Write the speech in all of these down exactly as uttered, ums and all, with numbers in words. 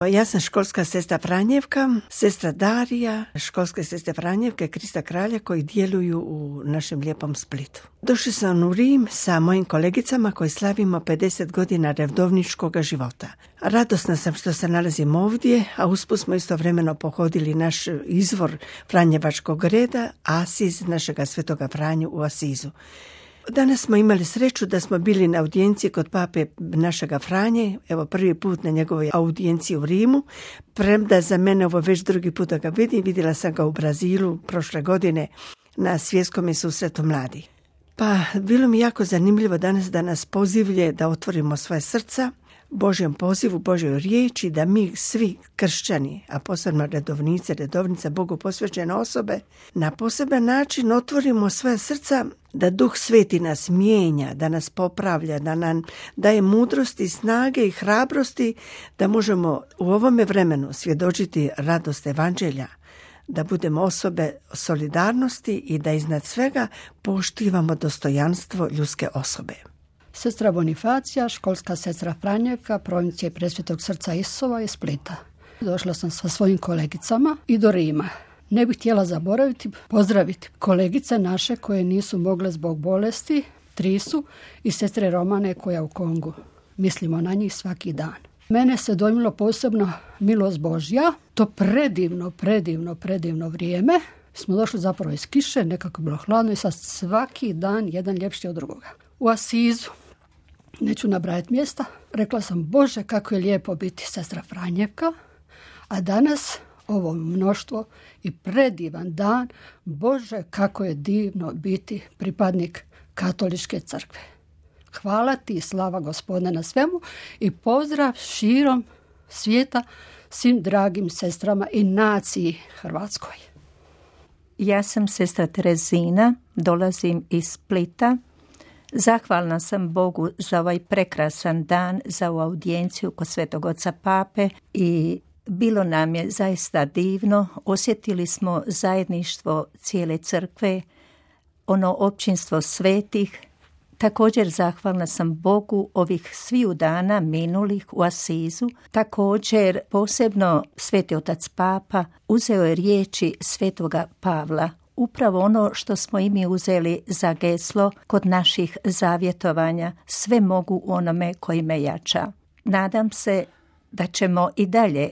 Ja sam školska sestra Franjevka, sestra Darija, školske sestre Franjevke, Krista Kralja koji djeluju u našem lijepom Splitu. Došli sam u Rim sa mojim kolegicama koji slavimo pedeset godina redovničkog života. Radosna sam što se nalazim ovdje, a usput smo istovremeno pohodili naš izvor Franjevačkog reda, Asiz našega svetoga Franju u Asizu. Danas smo imali sreću da smo bili na audijenciji kod pape našega Franje, evo prvi put na njegovoj audijenciji u Rimu, premda za mene ovo već drugi put da ga vidim, vidjela sam ga u Brazilu prošle godine na svjetskom susretu mladih. Pa bilo mi jako zanimljivo danas da nas pozivlje da otvorimo svoje srca Božjem pozivu, Božjoj riječi, da mi svi kršćani, a posebno redovnice, redovnice, Bogu posvećene osobe, na poseban način otvorimo svoje srca da Duh Sveti nas mijenja, da nas popravlja, da nam daje mudrosti, snage i hrabrosti da možemo u ovome vremenu svjedočiti radost evanđelja, da budemo osobe solidarnosti i da iznad svega poštivamo dostojanstvo ljudske osobe. Sestra Bonifacija, školska sestra Franjevka, provincije Presvetog srca Isusova iz Splita. Došla sam sa svojim kolegicama i do Rima. Ne bih htjela zaboraviti, pozdraviti kolegice naše koje nisu mogle zbog bolesti, tri su, i sestre Romane koja u Kongu. Mislimo na njih svaki dan. Mene se dojmilo posebno milost Božja, to predivno, predivno, predivno vrijeme. Smo došli zapravo iz kiše, nekako bilo hladno i sad svaki dan jedan ljepši od drugoga. U Asizu, neću nabrajati mjesta, rekla sam Bože kako je lijepo biti sestra Franjevka, a danas ovo mnoštvo i predivan dan, Bože kako je divno biti pripadnik katoličke crkve. Hvala ti i slava Gospodine na svemu i pozdrav širom svijeta svim dragim sestrama i naciji Hrvatskoj. Ja sam sestra Terezina, dolazim iz Splita. Zahvalna sam Bogu za ovaj prekrasan dan, za ovu audijenciju kod Svetog Oca Pape i bilo nam je zaista divno. Osjetili smo zajedništvo cijele crkve, ono općinstvo svetih. Također zahvalna sam Bogu ovih sviju dana minulih u Asizu. Također posebno Sveti Otac Papa uzeo je riječi Svetoga Pavla, upravo ono što smo i mi uzeli za geslo kod naših zavjetovanja, sve mogu onome koji me jača. Nadam se da ćemo i dalje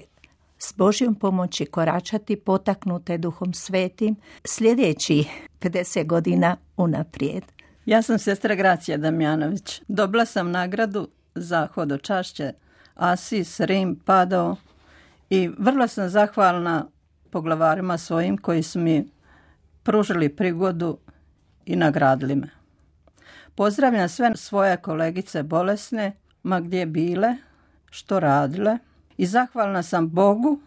s Božjom pomoći koračati potaknute Duhom Svetim sljedeći pedeset godina unaprijed. Ja sam sestra Gracija Damjanović. Dobila sam nagradu za hodočašće Asis, Rim, Padov i vrlo sam zahvalna poglavarima svojim koji su mi pružili prigodu i nagradili me. Pozdravljam sve svoje kolegice bolesne, ma gdje bile, što radile, i zahvalna sam Bogu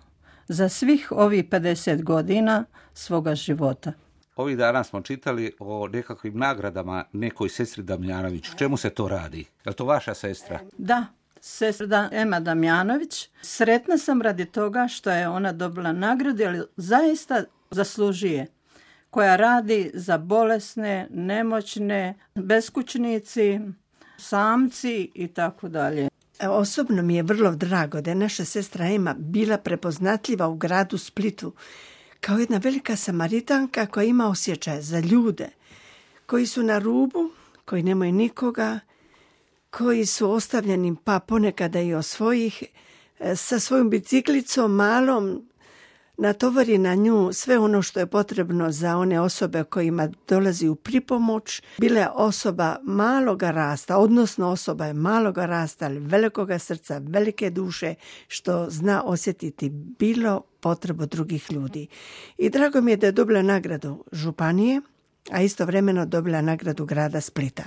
za svih ovih pedeset godina svoga života. Ovih dana smo čitali o nekakvim nagradama nekoj sestri Damjanović. Čemu se to radi? Je li to vaša sestra? Da, sestra Ema Damjanović. Sretna sam radi toga što je ona dobila nagradu, ali zaista zaslužuje. Koja radi za bolesne, nemoćne, beskućnici, samci i tako dalje. Osobno mi je vrlo drago da je naša sestra Ema bila prepoznatljiva u gradu Splitu kao jedna velika Samaritanka koja ima osjećaj za ljude koji su na rubu, koji nemaju nikoga, koji su ostavljeni pa ponekada i od svojih, sa svojom biciklicom malom natovari na nju sve ono što je potrebno za one osobe kojima dolazi u pripomoć. Bila je osoba maloga rasta, odnosno osoba je maloga rasta, ali velikoga srca, velike duše, što zna osjetiti bilo potrebu drugih ljudi. I drago mi je da je dobila nagradu županije, a istovremeno dobila nagradu grada Splita.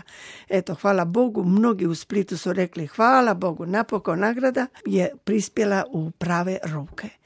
Eto, hvala Bogu, mnogi u Splitu su rekli hvala Bogu, napokon nagrada je prispjela u prave ruke.